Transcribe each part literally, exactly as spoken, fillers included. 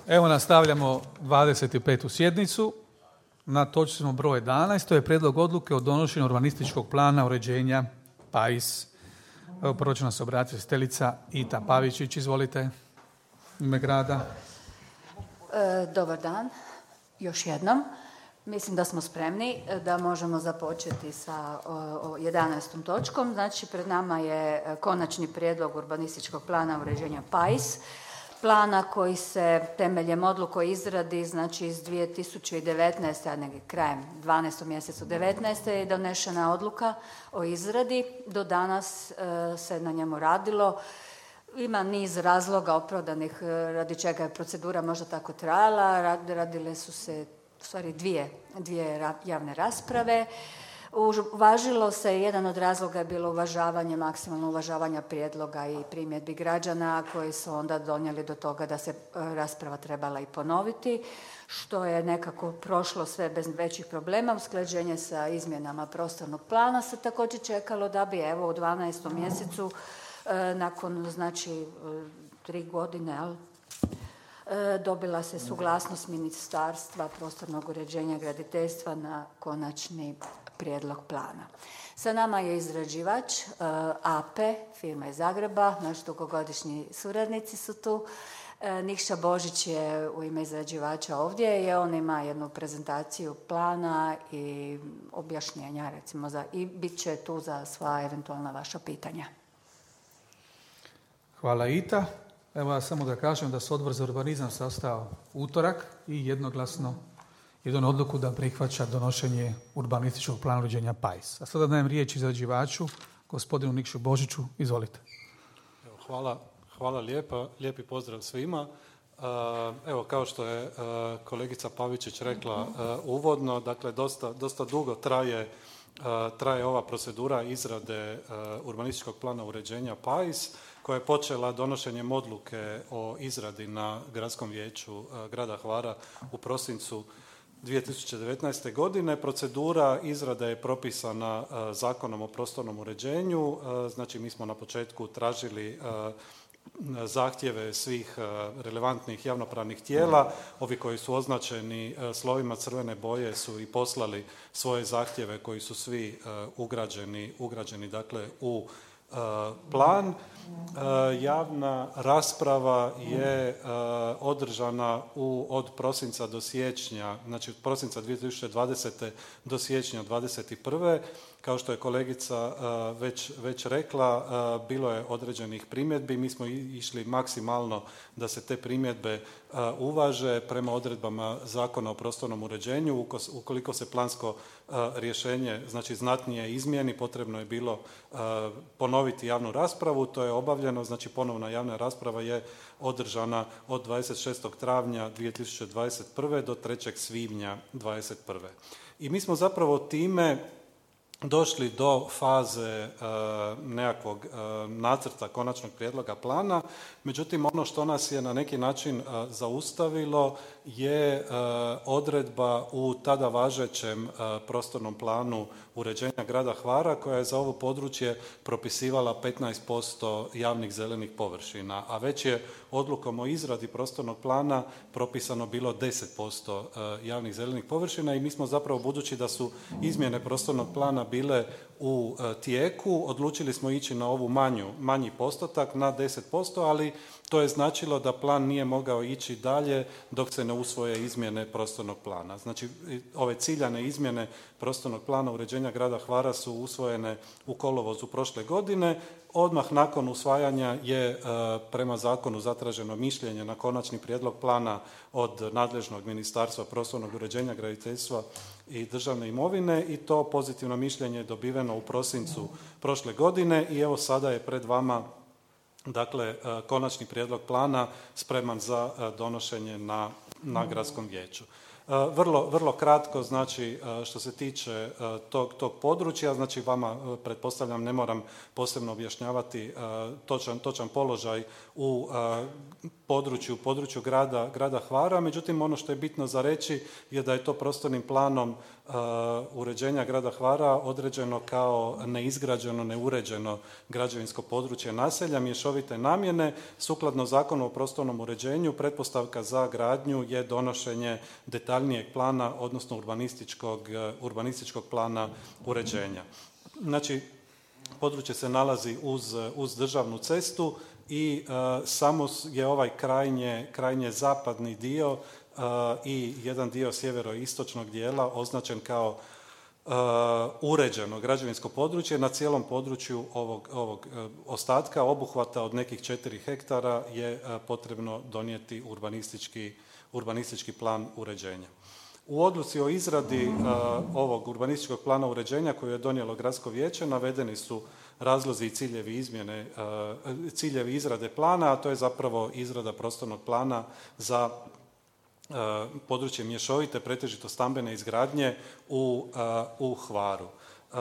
Evo nastavljamo dvadeset petu sjednicu. Na točci smo broj jedanaest. To je prijedlog odluke o donošenju urbanističkog plana uređenja Pais. Evo prvo će nas obratiti izvjestiteljica Ita Pavičić. Izvolite, u ime grada. E, dobar dan, još jednom. Mislim da smo spremni da možemo započeti sa jedanaestom točkom. Znači, pred nama je konačni prijedlog urbanističkog plana uređenja Pais. Plana koji se temeljem odluke o izradi, znači iz dvije tisuće devetnaeste. a negdje krajem dvanaestog mjesecu devetnaeste. je donešena odluka o izradi. Do danas e, se na njemu radilo. Ima niz razloga opravdanih radi čega je procedura možda tako trajala. Radile su se u stvari dvije, dvije javne rasprave. Uvažilo se, jedan od razloga je bilo uvažavanje, maksimalno uvažavanja prijedloga i primjedbi građana koji su onda donijeli do toga da se rasprava trebala i ponoviti, što je nekako prošlo sve bez većih problema. Usklađenje sa izmjenama prostornog plana se također čekalo da bi evo u dvanaestom mjesecu nakon znači tri godine, ali dobila se suglasnost Ministarstva prostornog uređenja i graditeljstva na konačni prijedlog plana. Sa nama je izrađivač A P, firma iz Zagreba, naši dugogodišnji suradnici su tu. Nikša Božić je u ime izrađivača ovdje i on ima jednu prezentaciju plana i objašnjenja recimo za, i bit će tu za sva eventualna vaša pitanja. Hvala Ita. Evo ja samo da kažem da se Odbor za urbanizam sastao utorak i jednoglasno jednu odluku da prihvaća donošenje urbanističkog plana uređenja Pais. A sada dajem riječ izrađivaču, gospodinu Nikšu Božiću. Izvolite. Evo, hvala, hvala lijepa, lijepi pozdrav svima. Evo, kao što je kolegica Pavičić rekla uvodno, dakle dosta, dosta dugo traje, traje ova procedura izrade urbanističkog plana uređenja Pais, koja je počela donošenjem odluke o izradi na Gradskom vijeću grada Hvara u prosincu dvije tisuće devetnaeste. godine. Procedura izrade je propisana Zakonom o prostornom uređenju. Znači, mi smo na početku tražili zahtjeve svih relevantnih javnopravnih tijela. Ovi koji su označeni slovima crvene boje su i poslali svoje zahtjeve koji su svi ugrađeni, ugrađeni dakle u plan. Javna rasprava je održana u, od prosinca do siječnja, znači od prosinca dvije tisuće dvadesete. do siječnja dvadeset prve. Kao što je kolegica već, već rekla, bilo je određenih primjedbi. Mi smo išli maksimalno da se te primjedbe uvaže prema odredbama Zakona o prostornom uređenju. Ukoliko se plansko rješenje znači znatnije izmijeni, potrebno je bilo ponoviti javnu raspravu. To je obavljeno, znači ponovna javna rasprava je održana od dvadeset šestog travnja dvije tisuće dvadeset prve. do trećeg svibnja dvadeset prve. I mi smo zapravo time došli do faze e, nekakvog e, nacrta konačnog prijedloga plana. Međutim, ono što nas je na neki način e, zaustavilo je e, odredba u tada važećem e, prostornom planu uređenja grada Hvara, koja je za ovo područje propisivala petnaest posto javnih zelenih površina, a već je odlukom o izradi prostornog plana propisano bilo deset posto e, javnih zelenih površina i mi smo zapravo, budući da su izmjene prostornog plana bile u tijeku, odlučili smo ići na ovu manju, manji postotak, na deset posto, ali to je značilo da plan nije mogao ići dalje dok se ne usvoje izmjene prostornog plana. Znači, ove ciljane izmjene prostornog plana uređenja grada Hvara su usvojene u kolovozu prošle godine. Odmah nakon usvajanja je e, prema zakonu zatraženo mišljenje na konačni prijedlog plana od nadležnog Ministarstva prostornog uređenja, graditeljstva i državne imovine i to pozitivno mišljenje je dobiveno u prosincu prošle godine i evo sada je pred vama dakle konačni prijedlog plana spreman za donošenje na, na gradskom vijeću. Vrlo, vrlo kratko, znači što se tiče tog, tog područja, znači vama pretpostavljam ne moram posebno objašnjavati točan, točan položaj u području, području grada, grada Hvara, međutim ono što je bitno za reći je da je to prostornim planom uređenja grada Hvara određeno kao neizgrađeno, neuređeno građevinsko područje naselja mješovite namjene. Sukladno Zakonu o prostornom uređenju pretpostavka za gradnju je donošenje detaljnijeg plana, odnosno urbanističkog, urbanističkog plana uređenja. Znači, područje se nalazi uz, uz državnu cestu i uh, samo je ovaj krajnje, krajnje zapadni dio uh, i jedan dio sjeveroistočnog dijela označen kao uh, uređeno građevinsko područje. Na cijelom području ovog, ovog uh, ostatka obuhvata od nekih četiri hektara je uh, potrebno donijeti urbanistički, urbanistički plan uređenja. U odluci o izradi uh, ovog urbanističkog plana uređenja koju je donijelo Gradsko vijeće navedeni su razlozi i ciljevi izmjene, uh, ciljevi izrade plana, a to je zapravo izrada prostornog plana za uh, područje mješovite, pretežito stambene izgradnje u, uh, u Hvaru. Uh,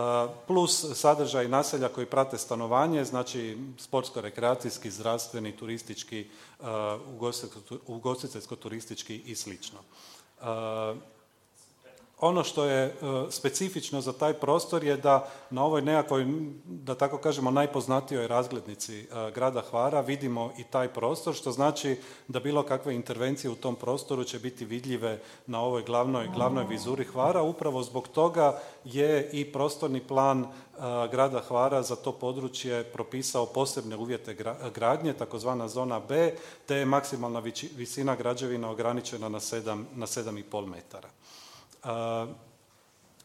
plus sadržaj naselja koji prate stanovanje, znači sportsko-rekreacijski, zdravstveni, turistički, uh, ugostiteljsko-turistički i slično. Uh, Ono što je uh, specifično za taj prostor je da na ovoj nekakvoj, da tako kažemo, najpoznatijoj razglednici uh, grada Hvara vidimo i taj prostor, što znači da bilo kakve intervencije u tom prostoru će biti vidljive na ovoj glavnoj, glavnoj vizuri Hvara. Upravo zbog toga je i prostorni plan uh, grada Hvara za to područje propisao posebne uvjete gra, gradnje, takozvana zona B, te je maksimalna viči, visina građevina ograničena na sedam, na sedam i pol metara. Uh,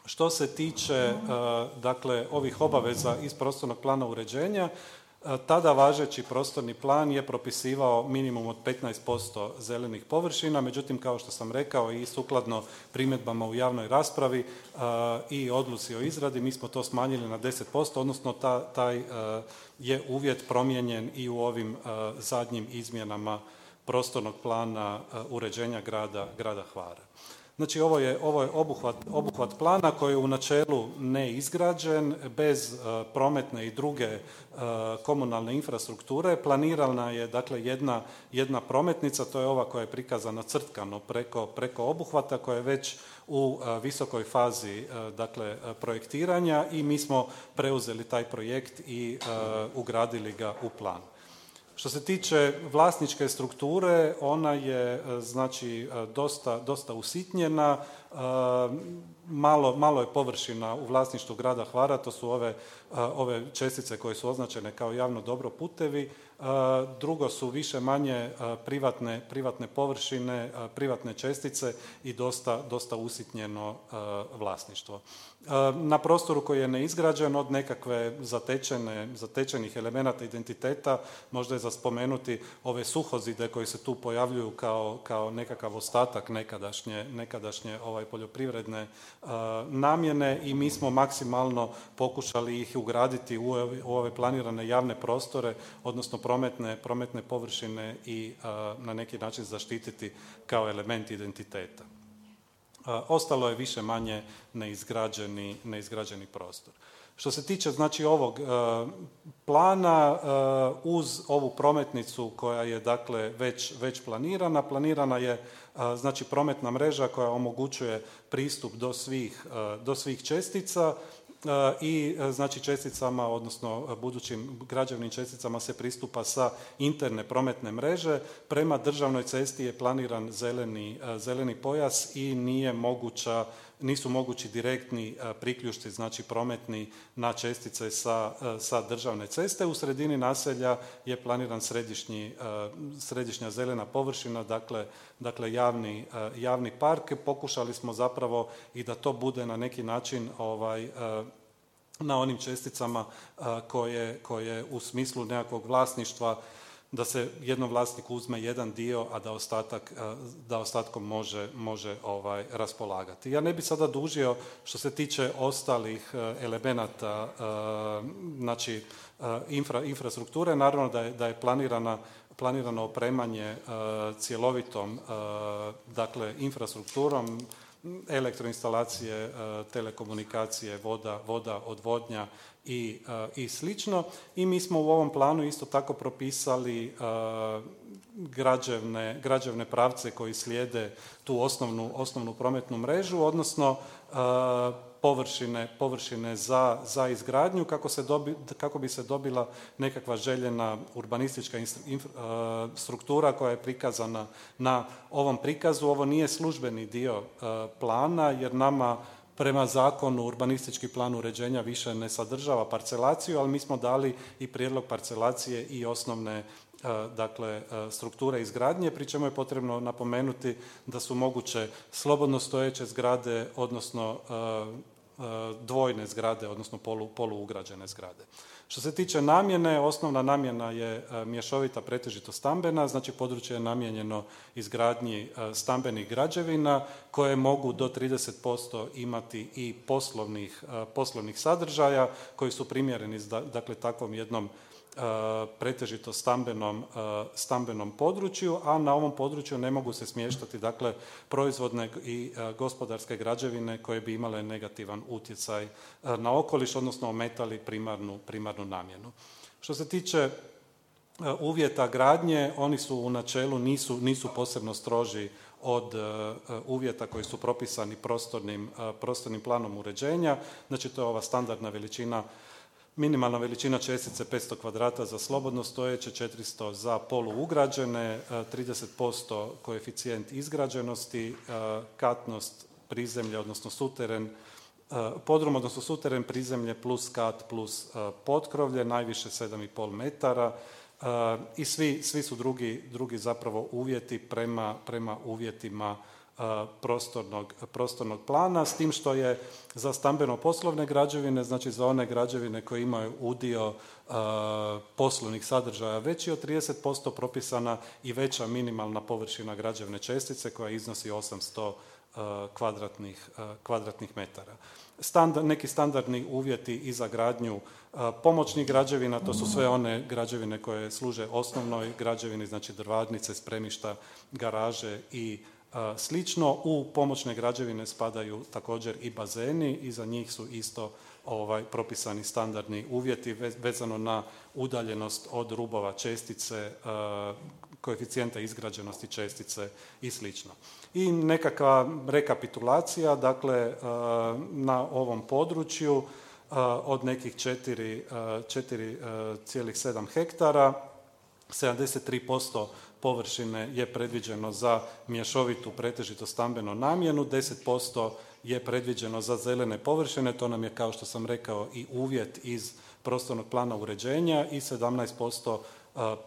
što se tiče uh, dakle ovih obaveza iz prostornog plana uređenja, uh, tada važeći prostorni plan je propisivao minimum od petnaest posto zelenih površina, međutim kao što sam rekao i sukladno primjedbama u javnoj raspravi uh, i odluci o izradi, mi smo to smanjili na deset posto, odnosno ta, taj uh, je uvjet promijenjen i u ovim uh, zadnjim izmjenama prostornog plana uh, uređenja grada, grada Hvara. Znači ovo je, ovo je obuhvat, obuhvat plana koji je u načelu neizgrađen, bez uh, prometne i druge uh, komunalne infrastrukture. Planirana je dakle jedna, jedna prometnica, to je ova koja je prikazana crtkano preko, preko obuhvata, koja je već u uh, visokoj fazi uh, dakle, projektiranja i mi smo preuzeli taj projekt i uh, ugradili ga u plan. Što se tiče vlasničke strukture, ona je znači dosta, dosta usitnjena, malo, malo je površina u vlasništvu grada Hvara, to su ove, ove čestice koje su označene kao javno dobro putevi, drugo su više manje privatne, privatne površine, privatne čestice i dosta, dosta usitnjeno vlasništvo. Na prostoru koji je neizgrađen od nekakve zatečene, zatečenih elemenata identiteta, možda je za spomenuti ove suhozide koji se tu pojavljuju kao, kao nekakav ostatak nekadašnje, nekadašnje ovaj, poljoprivredne uh, namjene i mi smo maksimalno pokušali ih ugraditi u ove, u ove planirane javne prostore, odnosno prometne, prometne površine i uh, na neki način zaštititi kao element identiteta. Ostalo je više manje neizgrađeni, neizgrađeni prostor. Što se tiče znači ovog uh, plana, uh, uz ovu prometnicu koja je dakle već, već planirana, planirana je uh, znači prometna mreža koja omogućuje pristup do svih, uh, do svih čestica i znači česticama, odnosno budućim građevnim česticama se pristupa sa interne prometne mreže. Prema državnoj cesti je planiran zeleni, zeleni pojas i nije moguća, nisu mogući direktni priključci, znači prometni na čestice sa, sa državne ceste. U sredini naselja je planiran središnji, središnja zelena površina, dakle, dakle javni, javni park. Pokušali smo zapravo i da to bude na neki način ovaj, na onim česticama koje, koje u smislu nekakvog vlasništva da se jednom vlasniku uzme jedan dio, a da ostatak, da ostatkom može, može ovaj, raspolagati. Ja ne bih sada dužio što se tiče ostalih elemenata, znači infra, infrastrukture, naravno da je, da je planirana planirano opremanje cjelovitom dakle infrastrukturom, elektroinstalacije, telekomunikacije, voda, voda, odvodnja i, i slično. I mi smo u ovom planu isto tako propisali građevne, građevne pravce koji slijede tu osnovnu, osnovnu prometnu mrežu, odnosno površine, površine za, za izgradnju kako, se dobi, kako bi se dobila nekakva željena urbanistička inf, uh, struktura koja je prikazana na ovom prikazu. Ovo nije službeni dio uh, plana jer nama prema zakonu urbanistički plan uređenja više ne sadržava parcelaciju, ali mi smo dali i prijedlog parcelacije i osnovne dakle strukture izgradnje, pri čemu je potrebno napomenuti da su moguće slobodno stojeće zgrade, odnosno dvojne zgrade, odnosno polu, poluugrađene zgrade. Što se tiče namjene, osnovna namjena je mješovita pretežito stambena, znači područje je namijenjeno izgradnji stambenih građevina koje mogu do trideset posto imati i poslovnih, poslovnih sadržaja koji su primjereni dakle takvom jednom pretežito stambenom, stambenom području, a na ovom području ne mogu se smještati dakle proizvodne i gospodarske građevine koje bi imale negativan utjecaj na okoliš, odnosno ometali primarnu, primarnu namjenu. Što se tiče uvjeta gradnje, oni su u načelu nisu, nisu posebno stroži od uvjeta koji su propisani prostornim, prostornim planom uređenja, znači to je ova standardna veličina. Minimalna veličina čestice petsto kvadrata za slobodno stojeće, četiristo za poluugrađene, trideset posto koeficijent izgrađenosti, katnost prizemlje, odnosno suteren, podrum, odnosno suteren, prizemlje plus kat plus potkrovlje, najviše sedam i pol metara i svi, svi su drugi, drugi zapravo uvjeti prema, prema uvjetima Prostornog, prostornog plana, s tim što je za stambeno-poslovne građevine, znači za one građevine koje imaju udio uh, poslovnih sadržaja veći od trideset posto propisana i veća minimalna površina građevne čestice koja iznosi osamsto uh, kvadratnih, uh, kvadratnih metara. Standard, neki standardni uvjeti i za gradnju uh, pomoćnih građevina, to su sve one građevine koje služe osnovnoj građevini, znači drvarnice, spremišta, garaže i slično. U pomoćne građevine spadaju također i bazeni i za njih su isto ovaj, propisani standardni uvjeti vezano na udaljenost od rubova čestice, koeficijenta izgrađenosti čestice i slično. I nekakva rekapitulacija, dakle na ovom području od nekih četiri zarez sedam hektara, sedamdeset tri posto površine je predviđeno za mješovitu pretežito stambenu namjenu, deset posto je predviđeno za zelene površine, to nam je kao što sam rekao i uvjet iz prostornog plana uređenja i sedamnaest posto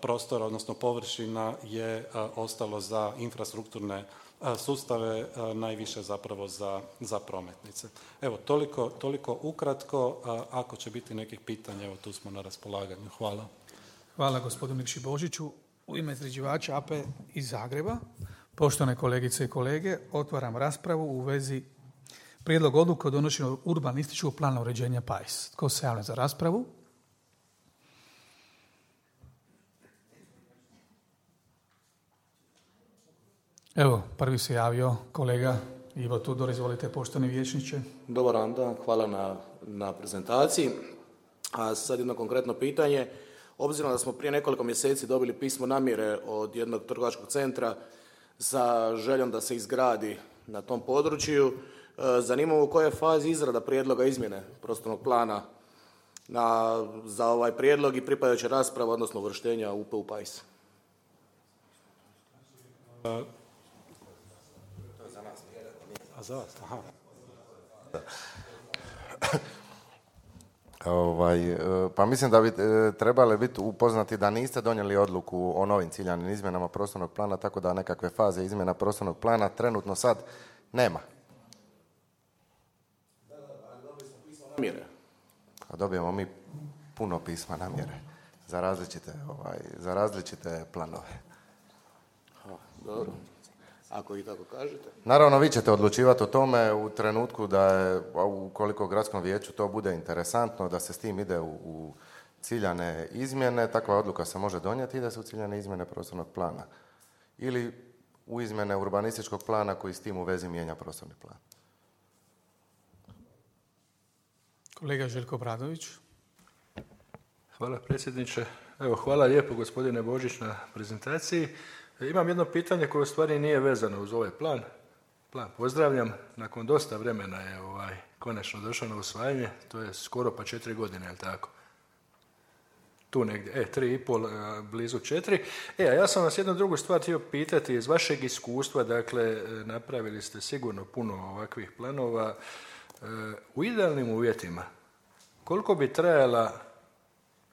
prostora, odnosno površina je ostalo za infrastrukturne sustave, najviše zapravo za, za prometnice. Evo, toliko, toliko ukratko, ako će biti nekih pitanja, evo tu smo na raspolaganju. Hvala. Hvala gospodinu Nikši Božiću. U ime izrađivača A P E iz Zagreba, poštovane kolegice i kolege, otvaram raspravu u vezi prijedlog odluke o donošenju urbanističkog plana uređenja P A I S. Tko se javlja za raspravu? Evo, prvi se javio kolega Ivo Tudor, izvolite poštovani vijećniče. Dobar dan, hvala na, na prezentaciji. A sad jedno konkretno pitanje. Obzirom da smo prije nekoliko mjeseci dobili pismo namjere od jednog trgovačkog centra sa željom da se izgradi na tom području, zanima me u kojoj je fazi izrada prijedloga izmjene prostornog plana na, za ovaj prijedlog i pripadajuća rasprava, odnosno uvrštenja U P u P A I S. A za vas? Aha. Ovaj, pa mislim da bi trebali biti upoznati da niste donijeli odluku o novim ciljanim izmjenama prostornog plana, tako da nekakve faze izmjena prostornog plana trenutno sad nema. Namjere. A dobijemo mi puno pisma namjere za različite, ovaj, za različite planove. Ha, dobro. Ako i tako kažete. Naravno, vi ćete odlučivati o tome u trenutku da je, ukoliko gradskom vijeću to bude interesantno, da se s tim ide u, u ciljane izmjene, takva odluka se može donijeti i da se u ciljane izmjene prostornog plana. Ili u izmjene urbanističkog plana koji s tim u vezi mijenja prostorni plan. Kolega Željko Bradović. Hvala predsjedniče. Evo, hvala lijepo gospodine Božić na prezentaciji. Imam jedno pitanje koje u stvari nije vezano uz ovaj plan. Plan pozdravljam. Nakon dosta vremena je ovaj konačno došao na usvajanje. To je skoro pa četiri godine, je li tako? Tu negdje, e, tri i pol, blizu četiri. E, a ja sam vas jednu drugu stvar htio pitati iz vašeg iskustva, dakle, napravili ste sigurno puno ovakvih planova. U idealnim uvjetima, koliko bi trajala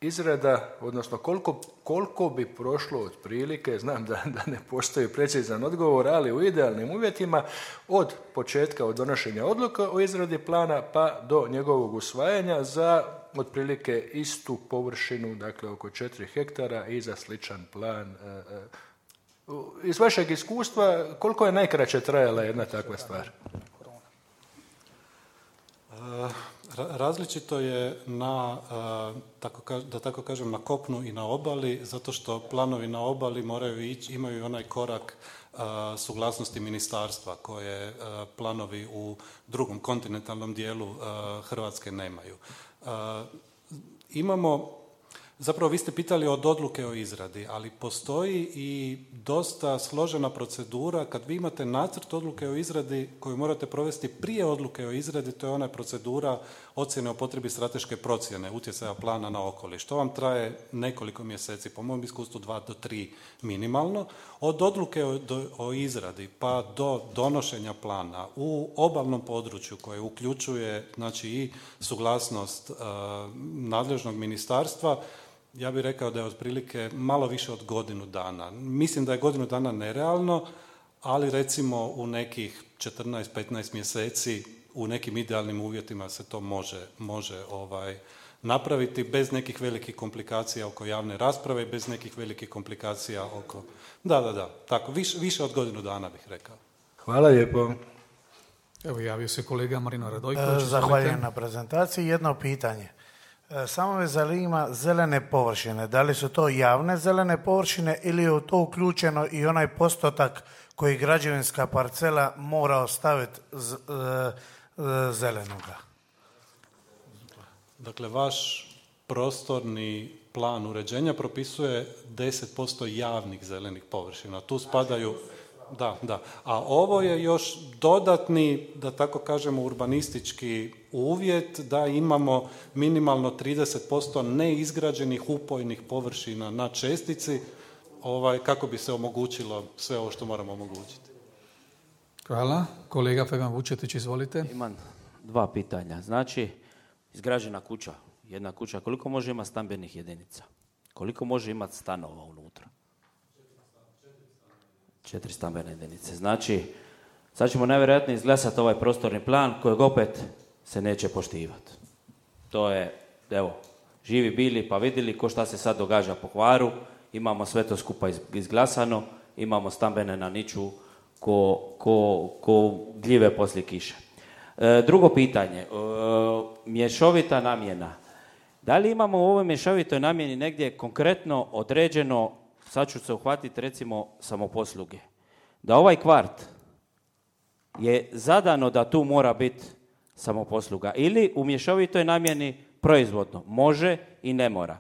izrada, odnosno koliko, koliko bi prošlo otprilike, znam da, da ne postoji precizan odgovor, ali u idealnim uvjetima od početka, od donošenja odluka o izradi plana pa do njegovog usvajanja za otprilike istu površinu, dakle oko četiri hektara i za sličan plan. Iz vašeg iskustva, koliko je najkraće trajala jedna takva stvar? Različito je na, da tako kažem, na kopnu i na obali, zato što planovi na obali moraju ići, imaju onaj korak suglasnosti ministarstva koje planovi u drugom kontinentalnom dijelu Hrvatske nemaju. Imamo, zapravo vi ste pitali od odluke o izradi, ali postoji i dosta složena procedura kad vi imate nacrt odluke o izradi koju morate provesti prije odluke o izradi, to je ona procedura ocjene o potrebi strateške procjene utjecaja plana na okoliš. To vam traje nekoliko mjeseci, po mom iskustvu dva do tri minimalno. Od odluke o, do, o izradi pa do donošenja plana u obalnom području koje uključuje znači i suglasnost uh, nadležnog ministarstva, ja bih rekao da je otprilike malo više od godinu dana. Mislim da je godinu dana nerealno, ali recimo u nekih četrnaest do petnaest mjeseci u nekim idealnim uvjetima se to može, može ovaj, napraviti bez nekih velikih komplikacija oko javne rasprave i bez nekih velikih komplikacija oko... Da, da, da, tako, više, više od godinu dana bih rekao. Hvala lijepo. Evo javio se kolega Marino Radojković. Zahvaljujem na prezentaciji. Jedno pitanje. Samo me zanima zelene površine. Da li su to javne zelene površine ili je u to uključeno i onaj postotak koji građevinska parcela mora ostaviti z, z, zelenoga? Dakle, vaš prostorni plan uređenja propisuje deset posto javnih zelenih površina. Tu spadaju... Da, da. A ovo je još dodatni, da tako kažemo, urbanistički uvjet da imamo minimalno trideset posto neizgrađenih upojnih površina na čestici, ovaj, kako bi se omogućilo sve ovo što moramo omogućiti. Hvala. Kolega Fegan Vučetić, izvolite. Imam dva pitanja. Znači, izgrađena kuća, jedna kuća, koliko može imati stambenih jedinica? Koliko može imati stanova unutra? Četiri stambene jedinice. Znači, sad ćemo najvjerojatnije izglasati ovaj prostorni plan kojeg opet se neće poštivati. To je, evo, živi bili pa vidjeli ko šta se sad događa po Hvaru, imamo sve to skupa izglasano, imamo stambene na niču ko, ko, ko gljive poslije kiše. E, drugo pitanje, e, mješovita namjena. Da li imamo u ovoj mješovitoj namjeni negdje konkretno određeno, sad ću se uhvatiti recimo samoposluge, da ovaj kvart je zadano da tu mora biti samoposluga ili u mješovitoj namjeni proizvodno, može i ne mora.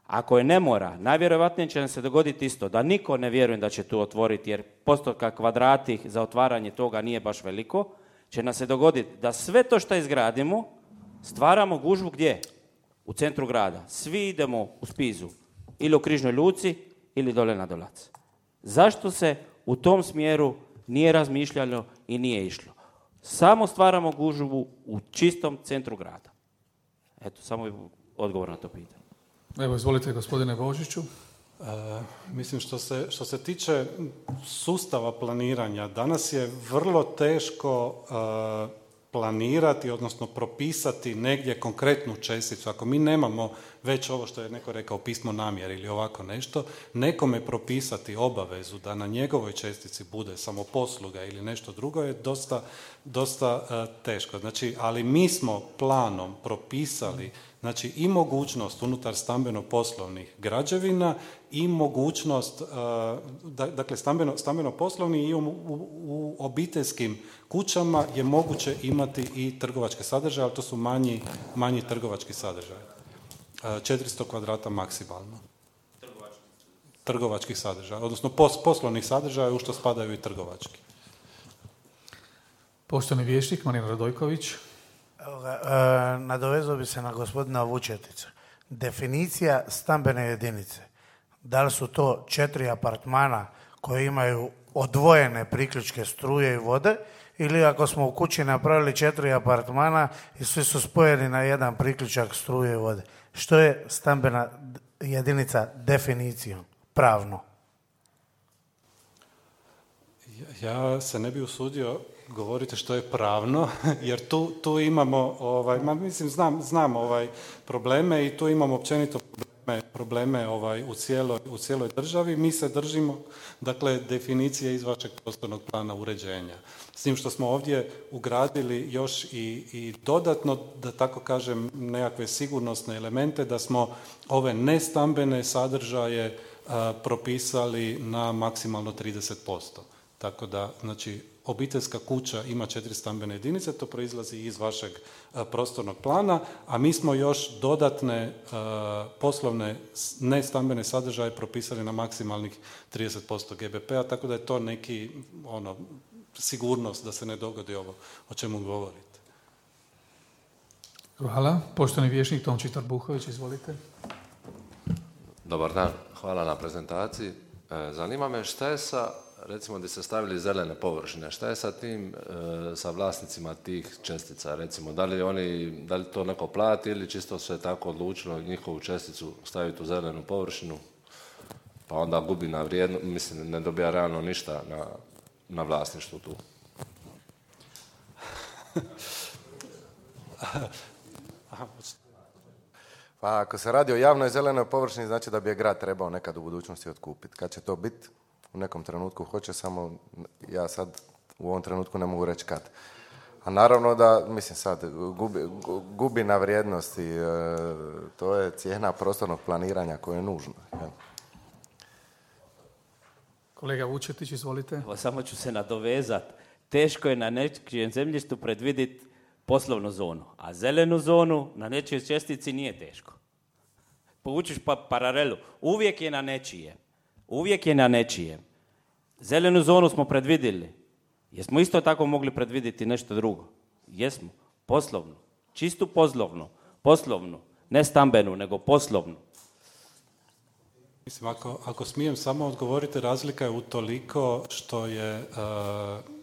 Ako je ne mora, najvjerojatnije će nam se dogoditi isto, da niko ne vjerujem da će tu otvoriti, jer postotka kvadrati za otvaranje toga nije baš veliko, će nam se dogoditi da sve to što izgradimo, stvaramo gužvu gdje? U centru grada. Svi idemo u Spizu, ili u Križnoj Luci, ili dole na Dolac. Zašto se u tom smjeru nije razmišljalo i nije išlo? Samo stvaramo gužvu u čistom centru grada. Eto, samo je odgovor na to pitanje. Evo, izvolite gospodine Božiću. E, mislim, što se, što se tiče sustava planiranja, danas je vrlo teško e, planirati, odnosno propisati negdje konkretnu česticu. Ako mi nemamo već ovo što je neko rekao pismo namjere ili ovako nešto, nekome propisati obavezu da na njegovoj čestici bude samoposluga ili nešto drugo je dosta, dosta uh, teško. Znači, ali mi smo planom propisali znači i mogućnost unutar stambeno-poslovnih građevina i mogućnost, uh, da, dakle stambeno, stambeno-poslovni i u, u, u obiteljskim kućama je moguće imati i trgovačke sadržaje, ali to su manji, manji trgovački sadržaj. Uh, četiristo kvadrata maksimalno. Trgovački. Trgovačkih sadržaja, odnosno pos, poslovnih sadržaja u što spadaju i trgovački. Poštovani vijećnik Marin Radojković. Evo ga, e, nadovezao bi se na gospodina Vučetića. Definicija stambene jedinice. Da li su to četiri apartmana koji imaju odvojene priključke struje i vode, ili ako smo u kući napravili četiri apartmana i svi su spojeni na jedan priključak struje i vode. Što je stambena jedinica definicijom, pravno? Ja se ne bi usudio govoriti što je pravno, jer tu, tu imamo, ovaj, ma mislim, znam, znam ovaj, probleme i tu imamo općenito probleme, probleme ovaj, u, cijeloj, u cijeloj državi. Mi se držimo, dakle, definicije iz vašeg prostornog plana uređenja. S tim što smo ovdje ugradili još i, i dodatno, da tako kažem, nekakve sigurnosne elemente, da smo ove nestambene sadržaje a, propisali na maksimalno trideset posto. Tako da, znači, obiteljska kuća ima četiri stambene jedinice, to proizlazi iz vašeg a, prostornog plana, a mi smo još dodatne a, poslovne nestambene sadržaje propisali na maksimalnih trideset posto G B P-a, tako da je to neki, ono, sigurnost da se ne dogodi ovo o čemu govorite. Hvala. Poštovani vijećnik Tonči Trbuhović, izvolite. Dobar dan, hvala na prezentaciji. Zanima me šta je sa, recimo gdje ste stavili zelene površine, šta je sa tim, sa vlasnicima tih čestica, recimo, da li oni, da li to neko plati ili čisto se tako odlučilo njihovu česticu staviti u zelenu površinu, pa onda gubi na vrijedno, mislim, ne dobija realno ništa na, na vlasništvu tu. Pa ako se radi o javnoj zelenoj površini, znači da bi je grad trebao nekad u budućnosti otkupiti. Kad će to biti? U nekom trenutku hoće, samo ja sad u ovom trenutku ne mogu reći kad. A naravno da, mislim sad, gubi, gubi na vrijednosti, e, to je cijena prostornog planiranja koje je nužno. Ja. Kolega Vučetić, izvolite. Evo, samo ću se nadovezati. Teško je na nečijem zemljištu predvidjeti poslovnu zonu, a zelenu zonu na nečijoj čestici nije teško. Povučiš pa paralelu. Uvijek je na nečije. Uvijek je na nečije. Zelenu zonu smo predvidjeli. Jesmo isto tako mogli predvidjeti nešto drugo? Jesmo. Poslovnu. Čistu poslovnu. Poslovnu. Ne stambenu, nego poslovnu. Mislim, ako, ako smijem samo odgovoriti, razlika je utoliko što je uh,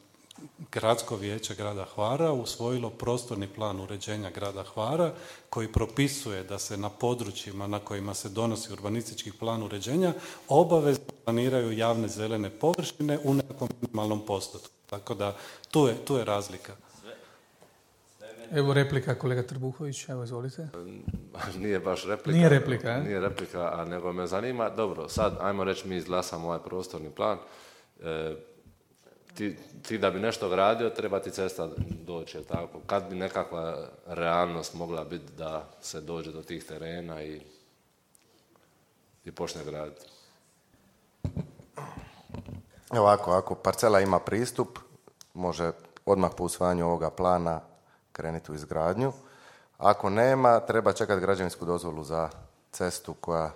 Gradsko vijeće grada Hvara usvojilo prostorni plan uređenja grada Hvara koji propisuje da se na područjima na kojima se donosi urbanistički plan uređenja obavezno planiraju javne zelene površine u nekom minimalnom postotku. Tako da tu je, tu je razlika. Evo replika, kolega Trbuhović, evo izvolite. Nije baš replika. Nije replika, je? Nije replika, a nego me zanima, dobro, sad ajmo reći mi izglasamo ovaj prostorni plan, e, Ti, ti da bi nešto gradio, treba ti cesta doći, je tako? Kad bi nekakva realnost mogla biti da se dođe do tih terena i, i počne graditi? Ovako, ako parcela ima pristup, može odmah po usvajanju ovoga plana krenuti u izgradnju. Ako nema, treba čekati građevinsku dozvolu za cestu koja,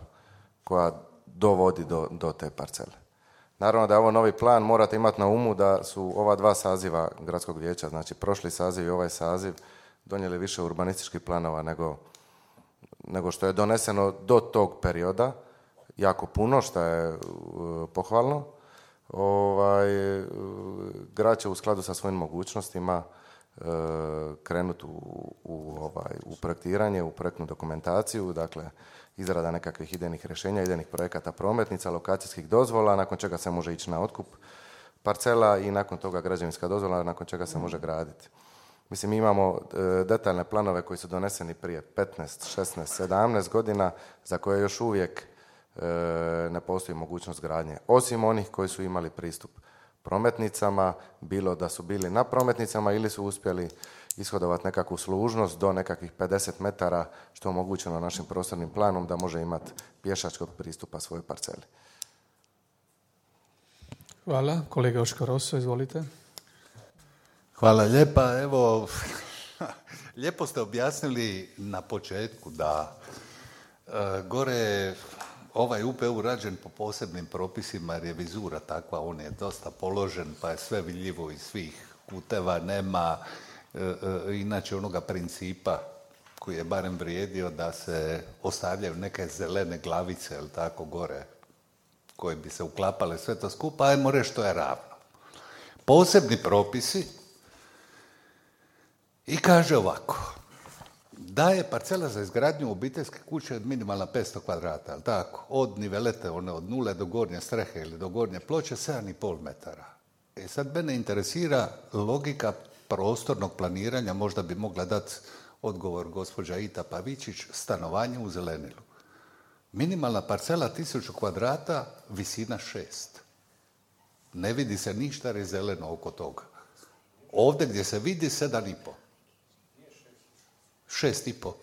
koja dovodi do, do te parcele. Naravno da je ovo novi plan, morate imati na umu da su ova dva saziva Gradskog vijeća, znači prošli saziv i ovaj saziv, donijeli više urbanističkih planova nego, nego što je doneseno do tog perioda, jako puno, što je uh, pohvalno. Ovaj, uh, grad će u skladu sa svojim mogućnostima uh, krenuti u, u, ovaj, u projektiranje, u projektnu dokumentaciju, dakle izrada nekakvih idejnih rješenja, idejnih projekata prometnica, lokacijskih dozvola, nakon čega se može ići na otkup parcela i nakon toga građevinska dozvola, nakon čega se može graditi. Mislim, mi imamo e, detaljne planove koji su doneseni prije petnaest, šesnaest, sedamnaest godina za koje još uvijek e, ne postoji mogućnost gradnje. Osim onih koji su imali pristup prometnicama, bilo da su bili na prometnicama ili su uspjeli ishodovati nekakvu služnost do nekakvih pedeset metara, što je omogućeno našim prostornim planom da može imati pješačkog pristupa svojoj parceli. Hvala. Kolega Joško Rosso, izvolite. Hvala lijepa. Evo, lijepo ste objasnili na početku da e, gore ovaj U P U rađen po posebnim propisima jer je vizura takva, on je dosta položen pa je sve vidljivo iz svih kuteva, nema e, e, inače onoga principa koji je barem vrijedio da se ostavljaju neke zelene glavice, jel tako, gore, koje bi se uklapale sve to skupa, ajmo reći što je ravno. Posebni propisi i kaže ovako, da je parcela za izgradnju obiteljske kuće minimalna petsto kvadrata, jel tako, od nivelete, one od nule do gornje strehe ili do gornje ploče, sedam i pol metara. E sad mene interesira logika prostornog planiranja, možda bi mogla dati odgovor gospođa Ita Pavičić, stanovanje u zelenilu. Minimalna parcela tisuću kvadrata, visina šest. Ne vidi se ništa jer je zeleno oko toga. Ovdje gdje se vidi sedam i po. Šest i po.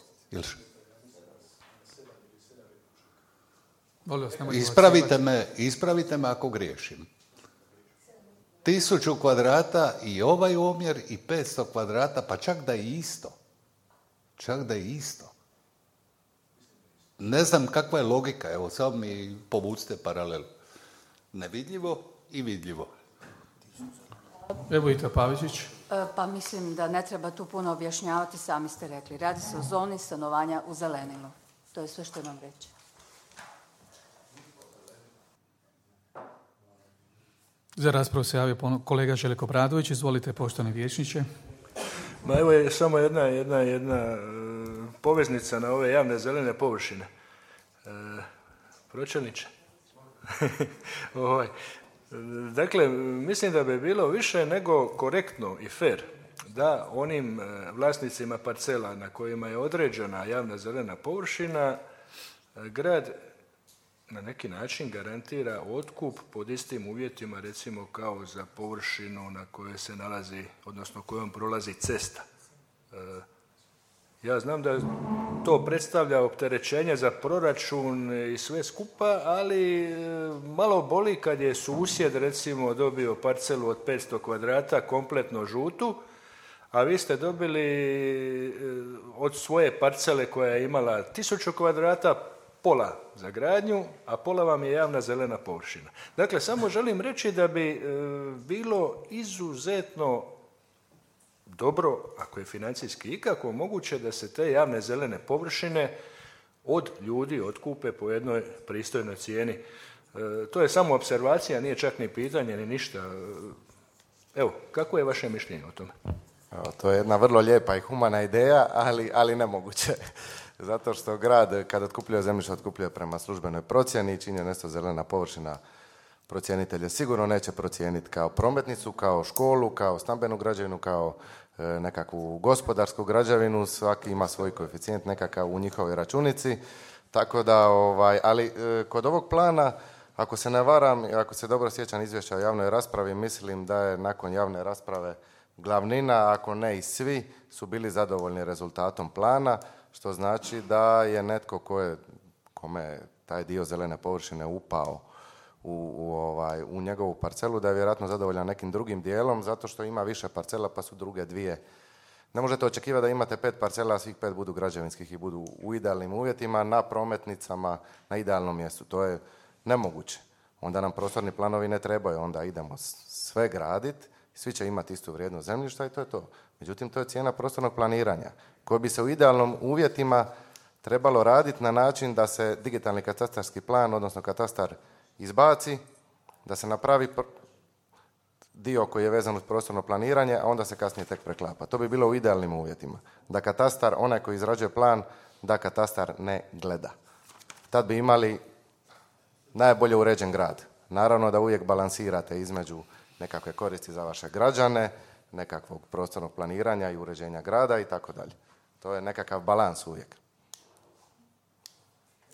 Ispravite me, ispravite me ako griješim. Tisuću kvadrata i ovaj omjer i petsto kvadrata, pa čak da je isto. Čak da je isto. Ne znam kakva je logika, evo samo mi povucite paralelu. Nevidljivo i vidljivo. Evo Ita Pavičić. Pa mislim da ne treba tu puno objašnjavati, sami ste rekli. Radi se o zoni stanovanja u zelenilu. To je sve što imam reći. Za raspravu se javio kolega Željko Bradović. Izvolite, poštovani vijećniče. Ma evo je samo jedna, jedna, jedna e, poveznica na ove javne zelene površine. E, pročelniče. ovaj. Dakle, mislim da bi bilo više nego korektno i fer da onim vlasnicima parcela na kojima je određena javna zelena površina grad na neki način garantira otkup pod istim uvjetima, recimo kao za površinu na kojoj se nalazi, odnosno kojom prolazi cesta. Ja znam da to predstavlja opterećenje za proračun i sve skupa, ali malo boli kad je susjed recimo dobio parcelu od petsto kvadrata kompletno žutu, a vi ste dobili od svoje parcele koja je imala tisuću kvadrata pola za gradnju, a pola vam je javna zelena površina. Dakle, samo želim reći da bi bilo izuzetno dobro, ako je financijski ikako moguće, da se te javne zelene površine od ljudi otkupe po jednoj pristojnoj cijeni. E, to je samo opservacija, nije čak ni pitanje, ni ništa. Evo, kako je vaše mišljenje o tome? Evo, to je jedna vrlo lijepa i humana ideja, ali, ali nemoguće. Zato što grad, kada otkupljuje zemljište, otkupljuje prema službenoj procjeni, čini je nešto zelena površina, procjenitelje sigurno neće procijeniti kao prometnicu, kao školu, kao stambenu građevinu, kao e, nekakvu gospodarsku građevinu, svaki ima svoj koeficijent nekakav u njihovoj računici, tako da, ovaj, ali e, kod ovog plana, ako se ne varam, ako se dobro sjećam izvješća o javnoj raspravi, mislim da je nakon javne rasprave glavnina, ako ne i svi, su bili zadovoljni rezultatom plana, što znači da je netko ko je, kome je taj dio zelene površine upao U, u, ovaj, u njegovu parcelu, da je vjerojatno zadovoljan nekim drugim dijelom, zato što ima više parcela pa su druge dvije. Ne možete očekivati da imate pet parcela, a svih pet budu građevinskih i budu u idealnim uvjetima, na prometnicama, na idealnom mjestu. To je nemoguće. Onda nam prostorni planovi ne trebaju, onda idemo sve graditi, svi će imati istu vrijednost zemljišta i to je to. Međutim, to je cijena prostornog planiranja, koji bi se u idealnom uvjetima trebalo raditi na način da se digitalni katastarski plan, odnosno katastar, izbaci, da se napravi dio koji je vezan uz prostorno planiranje, a onda se kasnije tek preklapa. To bi bilo u idealnim uvjetima. Da katastar, onaj koji izrađuje plan, da katastar ne gleda. Tad bi imali najbolje uređen grad. Naravno da uvijek balansirate između nekakve koristi za vaše građane, nekakvog prostornog planiranja i uređenja grada i tako dalje. To je nekakav balans uvijek.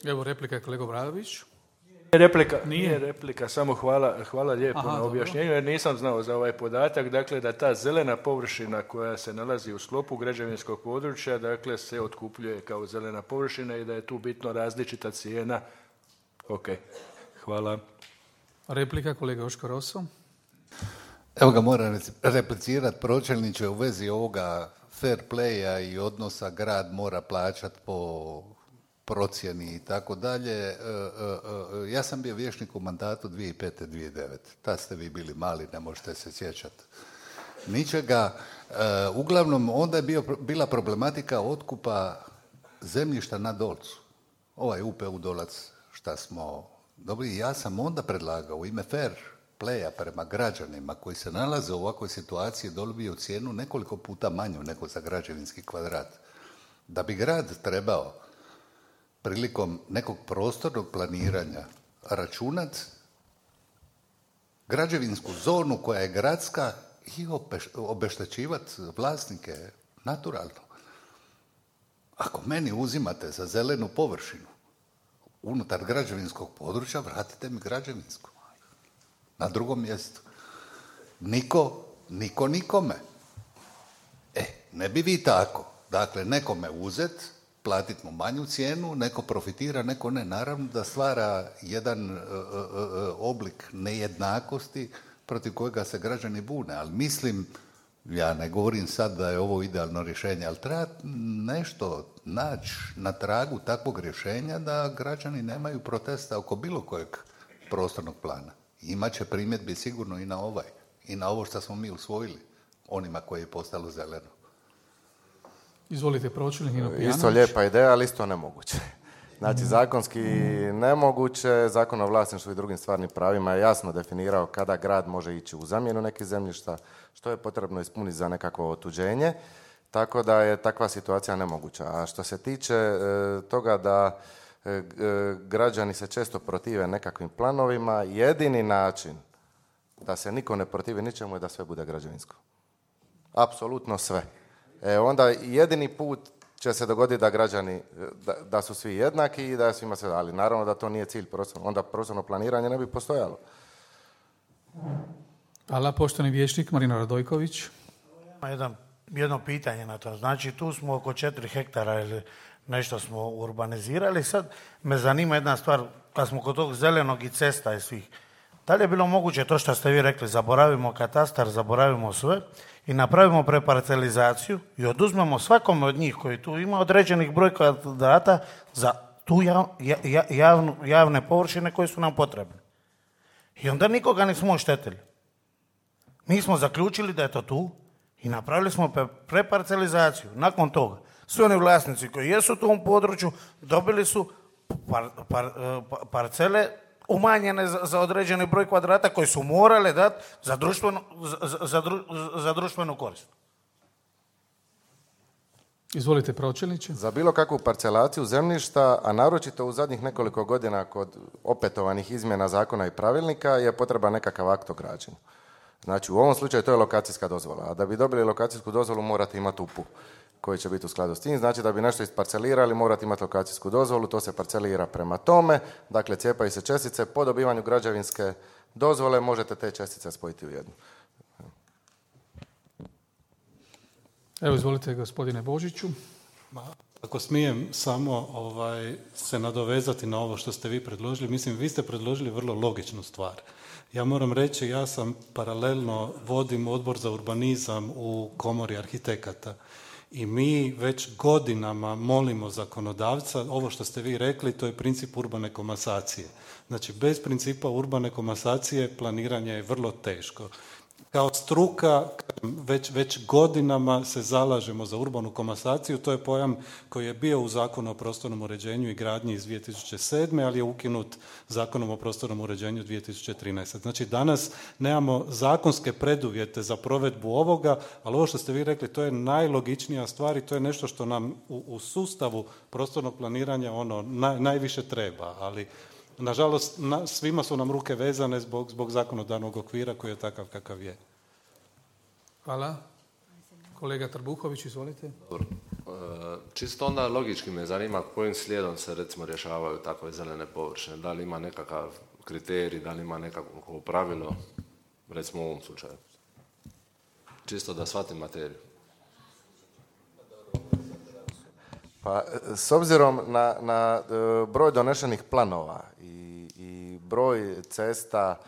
Evo replika kolega Obradović. Nije replika, nije replika, samo hvala, hvala lijepo Aha, na objašnjenju, jer nisam znao za ovaj podatak, dakle da ta zelena površina koja se nalazi u sklopu građevinskog područja, dakle se otkupljuje kao zelena površina i da je tu bitno različita cijena. Ok, hvala. Replika kolega Joško Rosso. Evo ga, moram replicirati pročelniče u vezi ovoga fair playa i odnosa grad mora plaćati po procjeni i tako dalje. Ja sam bio vijećnik u mandatu dvije tisuće pete do dvije tisuće devete. Tad ste vi bili mali, ne možete se sjećati ničega. Uglavnom, onda je bio, bila problematika otkupa zemljišta na Dolcu. Ovaj U P U Dolac šta smo dobili. Ja sam onda predlagao u ime fair playa prema građanima koji se nalaze u ovakvoj situaciji dobio cijenu nekoliko puta manju nego za građevinski kvadrat. Da bi grad trebao prilikom nekog prostornog planiranja računat građevinsku zonu koja je gradska i obeštećivati vlasnike naturalno. Ako meni uzimate za zelenu površinu unutar građevinskog područja, vratite mi građevinsku. Na drugom mjestu. Niko, niko nikome. E, ne bi vi tako. Dakle, nekome uzet, platiti mu manju cijenu, neko profitira, neko ne. Naravno da stvara jedan uh, uh, oblik nejednakosti protiv kojega se građani bune. Ali mislim, ja ne govorim sad da je ovo idealno rješenje, ali treba nešto naći na tragu takvog rješenja da građani nemaju protesta oko bilo kojeg prostornog plana. Imaće primjedbi sigurno i na ovaj, i na ovo što smo mi usvojili, onima koji je postalo zeleno. Izvolite, pročelnik Nino Pijanović. Isto lijepa ideja, ali isto nemoguće. Znači, zakonski nemoguće, Zakon o vlasništvu i drugim stvarnim pravima je jasno definirao kada grad može ići u zamjenu nekih zemljišta, što je potrebno ispuniti za nekakvo otuđenje, tako da je takva situacija nemoguća. A što se tiče e, toga da e, građani se često protive nekakvim planovima, jedini način da se niko ne protivi ničemu je da sve bude građevinsko. Apsolutno sve. E, onda jedini put će se dogoditi da građani, da, da su svi jednaki i da je svima sve, ali naravno da to nije cilj prostorno, onda prostorno planiranje ne bi postojalo. Hvala, poštovani vijećnik Marino Radojković. Ima jedan, jedno pitanje na to. Znači, tu smo oko četiri hektara ili nešto smo urbanizirali. Sad me zanima jedna stvar, kad smo kod tog zelenog i cesta i svih, da li je bilo moguće to što ste vi rekli, zaboravimo katastar, zaboravimo sve i napravimo preparcelizaciju i oduzmemo svakome od njih koji tu ima određenih broj kvadrata za tu jav, ja, javnu, javne površine koje su nam potrebne. I onda nikoga nismo oštetili. Mi smo zaključili da je to tu i napravili smo preparcelizaciju. Nakon toga, svi oni vlasnici koji jesu u tom području dobili su par, par, par, parcele umanjene za, za određeni broj kvadrata koji su morale dati za društvenu, za, za, za društvenu korist. Izvolite, pročelniče. Za bilo kakvu parcelaciju zemljišta, a naročito u zadnjih nekoliko godina kod opetovanih izmjena zakona i pravilnika je potreban nekakav akt o građenju. Znači, u ovom slučaju to je lokacijska dozvola, a da bi dobili lokacijsku dozvolu morate imati U P U koji će biti u skladu s tim. Znači, da bi nešto isparcelirali morate imati lokacijsku dozvolu, to se parcelira prema tome, dakle cijepaju se čestice, po dobivanju građevinske dozvole možete te čestice spojiti u jednu. Evo, izvolite, gospodine Božiću. Ma, ako smijem samo ovaj, se nadovezati na ovo što ste vi predložili, mislim, vi ste predložili vrlo logičnu stvar. Ja moram reći, ja sam paralelno vodim odbor za urbanizam u komori arhitekata i mi već godinama molimo zakonodavca, ovo što ste vi rekli, to je princip urbane komasacije. Znači, bez principa urbane komasacije planiranje je vrlo teško. Kao struka već, već godinama se zalažemo za urbanu komasaciju, to je pojam koji je bio u Zakonu o prostornom uređenju i gradnji iz dvije tisuće sedme, ali je ukinut Zakonom o prostornom uređenju dvije tisuće trinaeste. Znači danas nemamo zakonske preduvjete za provedbu ovoga, ali ovo što ste vi rekli, to je najlogičnija stvar i to je nešto što nam u, u sustavu prostornog planiranja ono naj, najviše treba, ali nažalost, na, svima su nam ruke vezane zbog, zbog zakonodavnog okvira koji je takav kakav je. Hvala. Kolega Trbuhović, izvolite. Dobro. Čisto onda logički me zanima kojim slijedom se recimo rješavaju takve zelene površine. Da li ima nekakav kriterij, da li ima nekakvo pravilo, recimo u ovom slučaju. Čisto da shvatim materiju. Pa, s obzirom na, na broj donešenih planova i, i broj cesta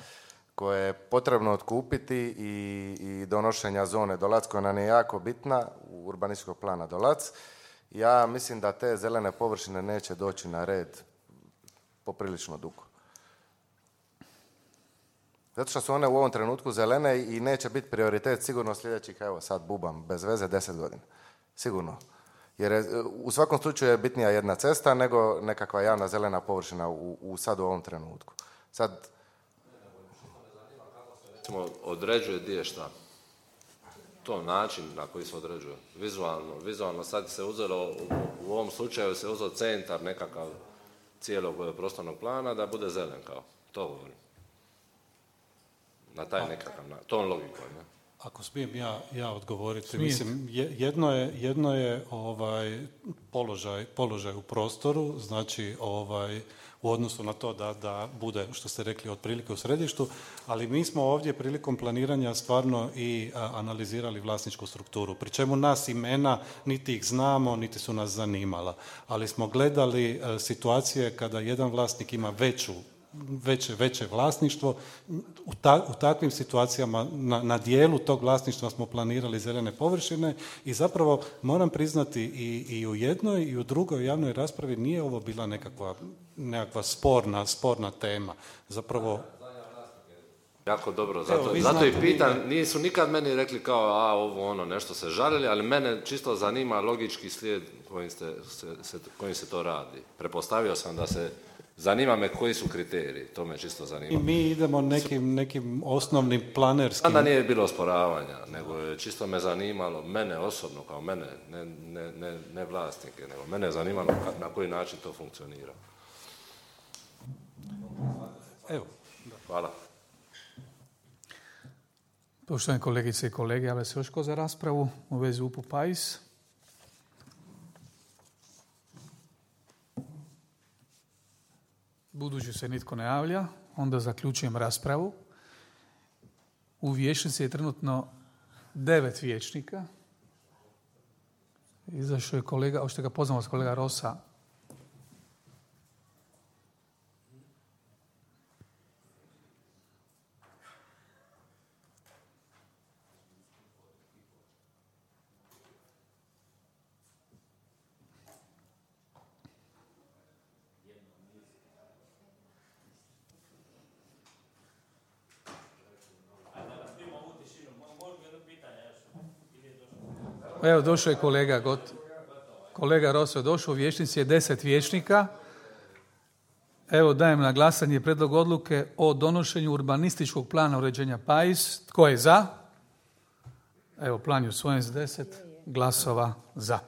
koje je potrebno otkupiti i, i donošenja zone Dolac, koja nam je jako bitna, urbanističkog plana Dolac, ja mislim da te zelene površine neće doći na red poprilično dugo. Zato što su one u ovom trenutku zelene i neće biti prioritet sigurno sljedećih, evo sad bubam, bez veze, deset godina. Sigurno. Jer je, u svakom slučaju je bitnija jedna cesta nego nekakva javna zelena površina u, u sad u ovom trenutku. Sad... Recimo, određuje gdje je šta. To način na koji se određuje. Vizualno. Vizualno sad se uzelo, u, u ovom slučaju se uzeo centar nekakav cijelog prostornog plana da bude zelen kao. To govorim. Na taj nekakav, na tom logikom. Ne? Ako smijem ja, ja odgovoriti, mislim, jedno je, jedno je ovaj, položaj, položaj u prostoru, znači ovaj, u odnosu na to da, da bude, što ste rekli, otprilike u središtu, ali mi smo ovdje prilikom planiranja stvarno i a, analizirali vlasničku strukturu, pri čemu nas imena niti ih znamo, niti su nas zanimala, ali smo gledali a, situacije kada jedan vlasnik ima veću Veće, veće vlasništvo. U, ta, u takvim situacijama na, na dijelu tog vlasništva smo planirali zelene površine i zapravo moram priznati i, i u jednoj i u drugoj javnoj raspravi nije ovo bila nekakva, nekakva sporna, sporna tema. Zapravo... Jako dobro, zato, Evo, zato i pitan, nisu nikad meni rekli kao a ovo ono nešto se žalili, ali mene čisto zanima logički slijed kojim, ste, se, se, kojim se to radi. Prepostavio sam da se zanima me koji su kriteriji, to me čisto zanima. I mi idemo nekim, nekim osnovnim planerskim... Onda nije bilo osporavanja, nego je čisto me zanimalo, mene osobno, kao mene, ne, ne, ne, ne vlasnike, nego mene je zanimalo na koji način to funkcionira. Evo. Hvala. Poštovane kolegice i kolege, javlja se još ko za raspravu u vezi U P U Pais? Budući se nitko ne javlja, onda zaključujem raspravu. U vijećnici je trenutno devet vijećnika. Izašao je kolega, hoćete ga poznamo s kolega Rosa. Evo, došao je kolega Got. Kolega Roso je došao, u vijećnici je deset vijećnika. Evo, dajem na glasanje prijedlog odluke o donošenju urbanističkog plana uređenja Pais. Tko je za? Evo, plan je usvojen s deset glasova za.